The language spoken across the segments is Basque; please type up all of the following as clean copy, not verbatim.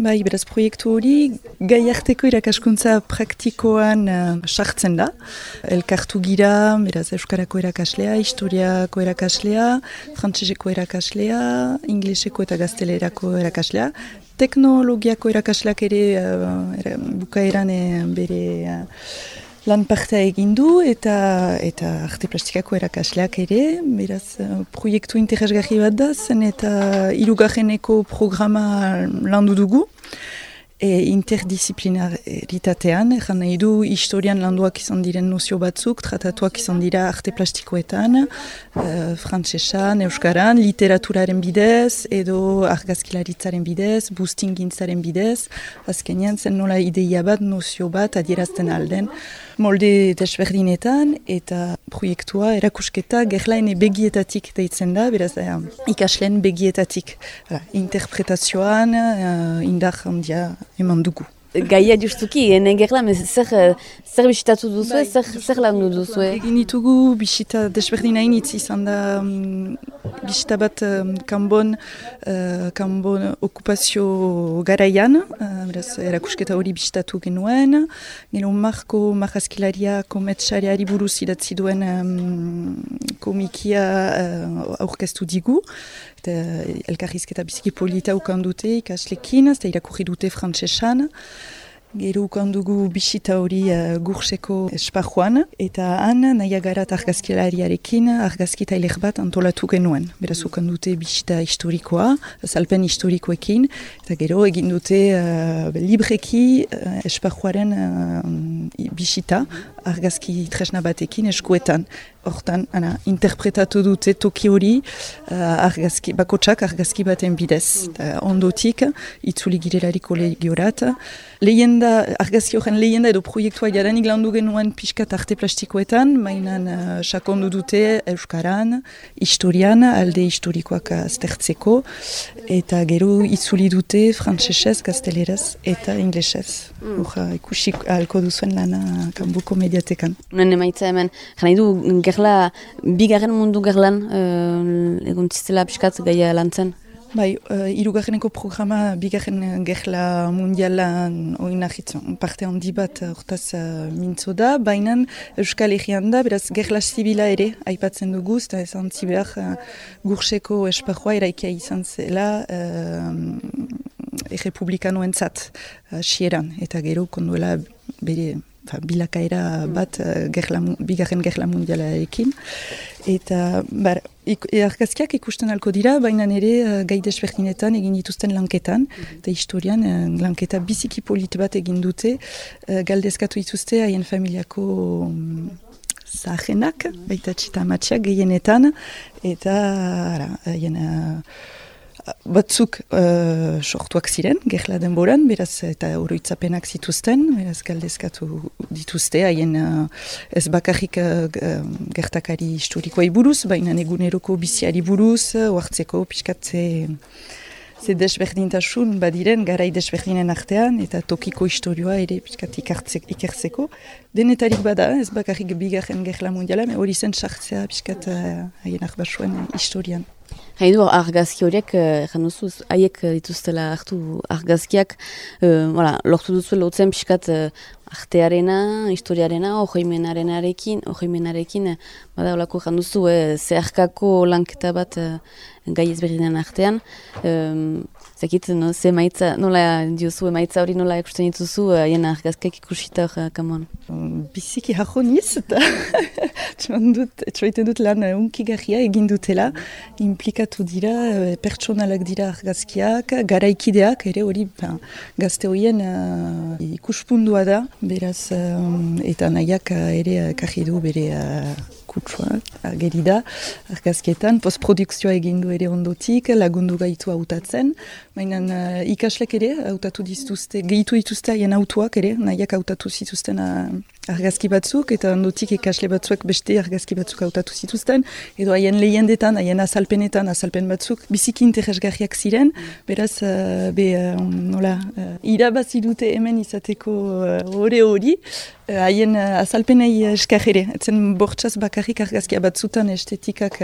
Bai, beraz proiektu hori gaiarteko irakaskuntza praktikoan sartzen da. Elkartu gira, beraz euskarako irakaslea, historiako irakaslea, frantseseko irakaslea, ingleseko eta gaztelerako irakaslea. Teknologiako irakasleak ere bukaeran bere lan partea egin du eta arte plastikako irakasleak ere, beraz proiektu interesgarri bat da, zen eta hirugarreneko programa landu dugu. Interdisciplinaritatean, egan nahi du historian landuak izan diren nozio batzuk, tratatuak izan dira arte plastikoetan, frantsesan, euskaran, literaturaren bidez, edo argazkilaritzaren bidez, boostingintzaren bidez, azkenean zen nola ideia bat, nozio bat adierazten alden, molde desberdinetan, eta proiektua erakusketa gerlaene begietatik deitzen da, beraz ikasleen begietatik. Interpretazioan, indar handia eman dugu. Gaia justuki, ene gerla, zer bisitatu duzu, zer landu duzu? Egin ditugu bisita desberdinain izan da bisita bat kanbon okupazio garaian, erakusketa hori bisitatu genuen, gero Marko Marrazkilaria kometsariari buruz idatzi duen komikia aurkeztu digu, eta elkarrizketa biziki polita ukan dute ikaslekin, eta irakurri dute frantsesan. Gero ukan dugu bisita hori Gurseko esparruan, eta han Nahiagarat argazkilariarekin argazki tailer bat antolatu genuen. Beraz ukan dute bisita historikoa, azalpen historikoekin, eta gero egin dute libreki esparruaren bisita argazki tresna batekin eskuetan. Hortan, interpretatu dute toki hori bakotsak argazki baten bidez. Ondotik, itzuli girelari kolegiorat. Argazki horren lehenda edo proiektua jadanik landu genuen pixkat arte plastikoetan, mainan sakondu dute euskaran, historian, alde historikoak aztertzeko, eta gero itzuli dute frantsesez, gazteleraz eta inglesez. Ikusi ahalko duzuen lana kanbuko mediatekan. Unen emaitza hemen, jana du gerla, bigarren mundu gerlan, eguntziztela pixkat gaia lantzen? Bai, hirugarreneko programa bigarren gerla mundialan oinahitzen parte handi bat hortaz mintzo da, baina Euskal Herrian da, beraz gerla zibila ere aipatzen dugu, eta esan zibehar Gurseko esparrua eraikia izan zela errepublikanoentzat xieran, eta gero konduela bere bilakaera bat bigarren gerla mundialarekin. Eta argazkiak ikusten alko dira, baina ere gai desberdinetan egin dituzten lanketan, eta historian lanketa biziki polit bat egin dute, galdezkatu dituzte haien familiako zahenak, baita txita amatxak gehienetan, eta haien batzuk sortuak ziren, gerla denboran, beraz eta oroitzapenak zituzten, beraz galdezkatu dituzte, haien ez bakarrik gertakari historikoai buruz, baina eguneroko biziari buruz, oartzeko pixkatze ze desberdintasun badiren garai desberdinen artean, eta tokiko historioa ere pixkat ikertzeko. Denetarik bada, ez bakarrik bigarren gerla mundiala, hori zen sartzea pixkat haien arbasuen historian. Haidu argazki horiek, januzuz, haiek dituztela hartu argazkiak, lortu duzu lotzen pixkat artearena, historiarena, ojoimenarekin, bada olako janduzu, zeharkako lanketa bat gai ezberdinen artean. Zekit, ze maitza, nola diozu emaitza hori nola ikusten dituzu, haien argazkiak ikusita kamon? Biziki hajoniz, eta txoiten dut lan unkigarria egin dutela, implikatu dira, pertsonalak dira argazkiak, garaikideak, ere hori gazte horien ikuspundua da, beraz, eta nahiak ere karri du bere kutsua, geri da, argazkietan, postprodukzioa egin du ere ondotik, lagundu gaitu hautatzen, baina ikaslek ere hautatu dituzte, gehitu dituzte haien autuak ere, nahiak hautatu zituzten argazki batzuk, eta ondotik ikasle batzuek beste argazki batzuk hautatu zituzten, edo haien lehendetan, haien azalpen batzuk, biziki interesgarriak ziren, beraz, irabazi dute hemen izateko hori, Haien azalpenei eskar ere. Etzen bortxaz bakarrik argazkia batzutan estetikak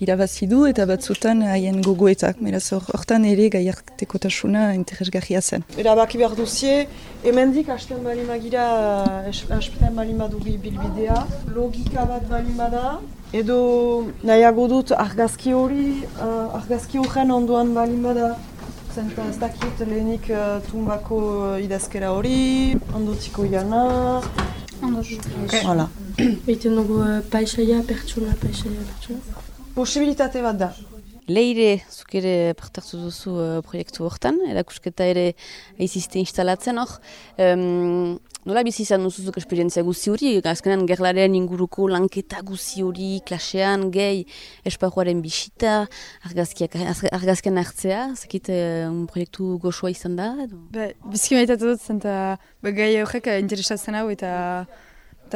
irabazi du eta batzutan haien gogoetak. Beraz hortan ere gaiartekotasuna interesgarria zen. Erabaki behar duzie, hemendik hasten bali magira, hasten bali madugi bilbidea, logika bat bali bada, edo nahiago dut argazki horren ondoan bali bada. Zenta ez dakit lehenik tumbako idazkera hori, ondotiko jana. Hala. Egiten dugu paisaia, pertsona. Posibilitate bat da. Leire, zuk ere partartu duzu proiektu hortan, erakusketa ere aizizte instalatzen hor. Nola bizi izan duzuzuk esperientzia guzi hori, azkenan gerlaren inguruko lanketa guzi hori, klasean, gehi, esparruaren bisita, argazkian hartzea, zakit proiektu goxoa izan da? Bizki maitatu dut, zenta gai horrek interesatzen hau eta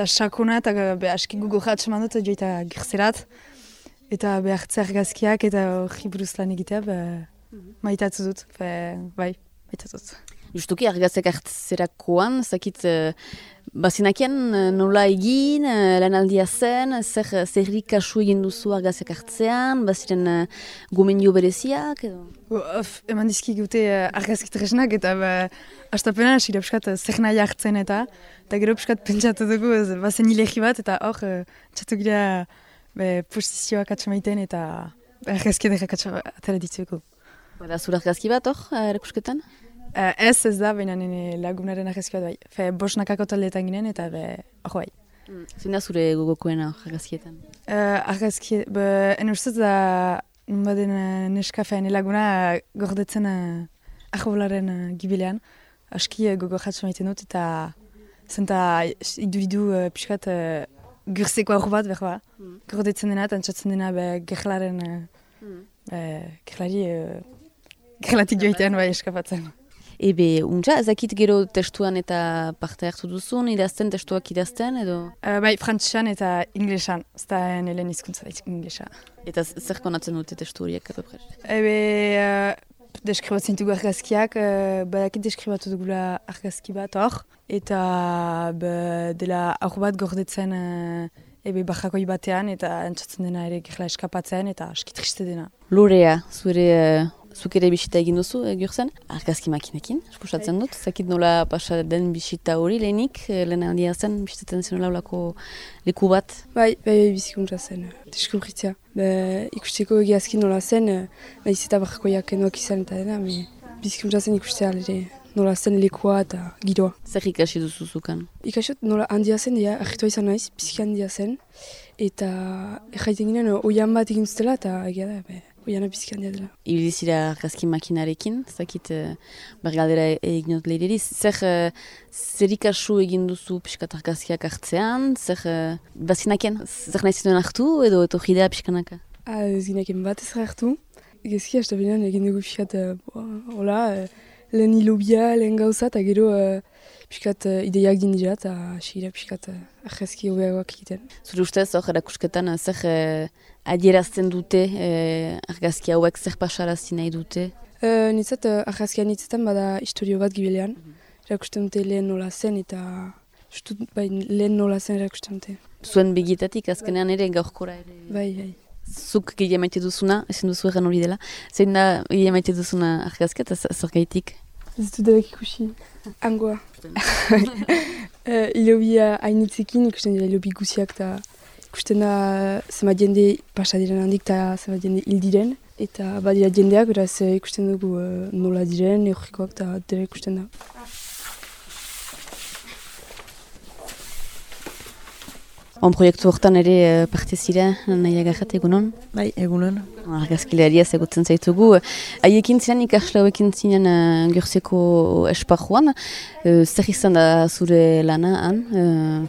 sakona eta aski gugorra atseman dut joita gerzerat. Eta behartze argazkiak eta hori buruz lan egitea maitatu dut, bai, maitatu dut. Justuki argazek hartzerakoan, zakit bazinakian nola egin, lanaldia zen, zerri kasu egin duzu argazek hartzean, baziren gomendio bereziak edo? Eman dizki gute argazki tresnak eta astapena hasi piskat zer nahi hartzen eta gero piskat pentsatu dugu bazen hilegi bat eta hor txatu gira posizioak atxamaiten eta argazki edekak atara ditzueko. Bada zure argazki bat hor, erakusketan? Ez da, baina nire lagunaren argazki bat bai. Bosnakako taldeetan ginen eta hor bai. Zein da zure gogokoena argazkietan? Argazki, ene ustez da baden neska laguna gordetzen arrobolaren gibilean. Aski gogo atxamaiten dut eta zenta idu piskat Gurzeko aur bat, behar gordetzen dena eta antzatzen dena gerlaren, gerlatik joitean bai eskapatzen. Ebe, untza, ezakit gero testuan eta parte hartu duzun, idazten, testuak idazten, edo? Bai, frantzisan eta inglesan, ez da helen hizkuntza da inglesa. Eta zer konatzen dute testu horiek, apapres? Ebe, deskribatzen dugu argazkiak, badakit deskribatu dugula argazki bat hor, eta dela aur bat gordetzen barrakoi batean, eta antzatzen dena ere gerla eskapatzen, eta aski triste dena. Lorea, zuk ere bisita egin duzu, Gürzen? Argazki makinekin, eskusatzen dut. Zakit nola pasa den bisita hori lehenik, lehen aldia zen, bisitatzen zen olako leku bat? Bai, bizikuntza zen, deskubritzea. Ikusteko egiazkin nola zen, nahiz eta barrakoiak kenduak izan eta dena, bizikuntza zen ikustea nola zen lekua eta giroa. Zer ikasi duzu zukan? Ikasot nola handia zen, argitua izan naiz, biziki handia zen, eta erraiten ginen oian bat egin zutela eta egia da, oiana biziki handia dela. Ibilizira argazki makinarekin, zakit bergaldera egin dut leireri, zer ikasu egin duzu piskat argazkiak hartzean, bazinaken, zer nahi zituen hartu edo etorridea piskanaka? Ez ginaken bat ez hartu, egizki hasta benean egin dugu piskat, lehen hilobia, lehen gauza, eta gero piskat ideiak dindira, eta xeira piskat argazki hobeagoak egiten. Zure ustez, hor erakusketan, zer adierazten dute argazki hauek, zer pasarazi nahi dute? Nitzat, argazkian nitzetan bada historio bat gibilean. Erakusten dute lehen nola zen, eta lehen nola zen erakusten dute. Zuen begietatik, azkenean ere, gaurkora ere? Bai. Zuk gehi maite duzuna, ezin duzu egan hori dela. Zein da gehi maite duzuna argazkia eta zer gaitik? Ez dut debek ikusi. Angoa. Ilobia hainitzekin, ikusten dira ilobi guziak eta ikusten da zema jende pasa diren handik eta zema jende hil diren. Eta badira jendeak, beraz ikusten dugu nola diren, eurrikoak eta dira ikusten da. Proiektu hortan ere parte zira, nahi agarrat egunon? Bai, egunon. Argazkilaria egutzen zaitugu. Haiekin ziren ikasle hauekin zinen Gurzeko esparruan. Zer izan da zure lana han?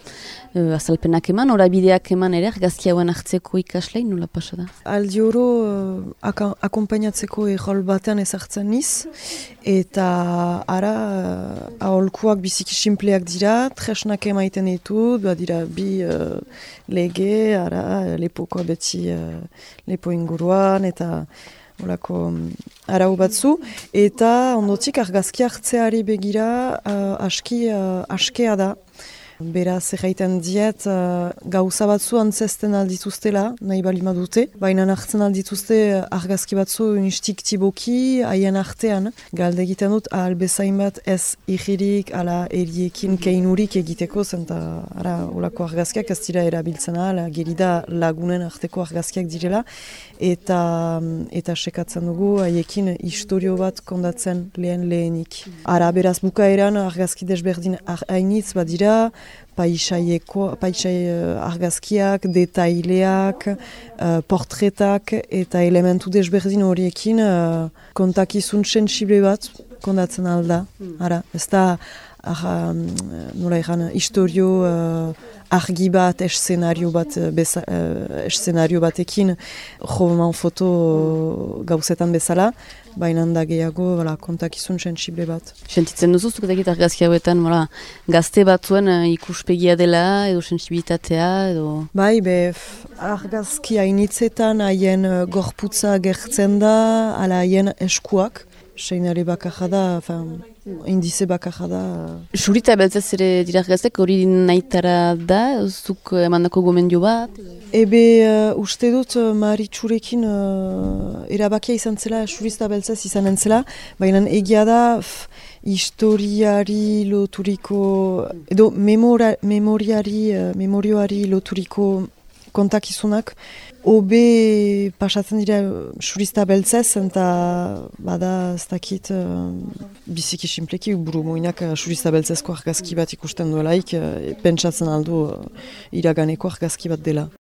Azalpenak eman, orabideak eman ere, argazki hauen hartzeko ikaslein, nola pasa da? Aldi oro akompainatzeko errol batean ezartzen niz, eta ara aholkuak biziki simpleak dira, tresnak emaiten ditut, dira bi lege, ara lepokoa beti lepo inguruan, eta olako arau batzu, eta ondotik argazki hartzeari begira askea da. Beraz, erraiten diet, gauza batzu antzesten aldituztela, nahi balima dute, baina hartzen aldituzte argazki batzu instiktiboki haien artean. Galde egiten dut, ahal bezain bat ez ijirik, ala eriekin keinurik egiteko, zenta olako argazkiak ez dira erabiltzen ahal, gerida lagunen arteko argazkiak direla, eta sekatzen dugu haiekin historio bat kondatzen lehenik. Ara, beraz, bukaeran argazki desberdin hainitz badira, paisai argazkiak, detaileak, portretak eta elementu desberdin horiekin kontakizun sensible bat kondatzen alda. Ara, ez da, nola egan, historio argi bat, eszenario batekin roman foto gauzetan bezala, baina da gehiago kontakizun sensible bat. Sentitzen duzuztuk dakit argazki hauetan, gazte batzuen ikuspegia dela, edo sensibilitatea, edo... Bai, argazki hainitzetan haien gorputza gertzen da, ala haien eskuak, seinale bakarra da, indize bakarra da. Surita beltzaz ere dira argaztek, hori nahitara da, zuk emandako gomendio bat? Uste dut Maritxurekin erabakia izan zela, surista beltzaz izan entzela, baina egia da historiari loturiko, edo memorioari loturiko kontakizunak, hobe pasatzen dira surista beltzez, eta bada ez dakit biziki simpleki buru moinak surista beltzezko argazki bat ikusten duelaik, pentsatzen aldu iraganeko argazki bat dela.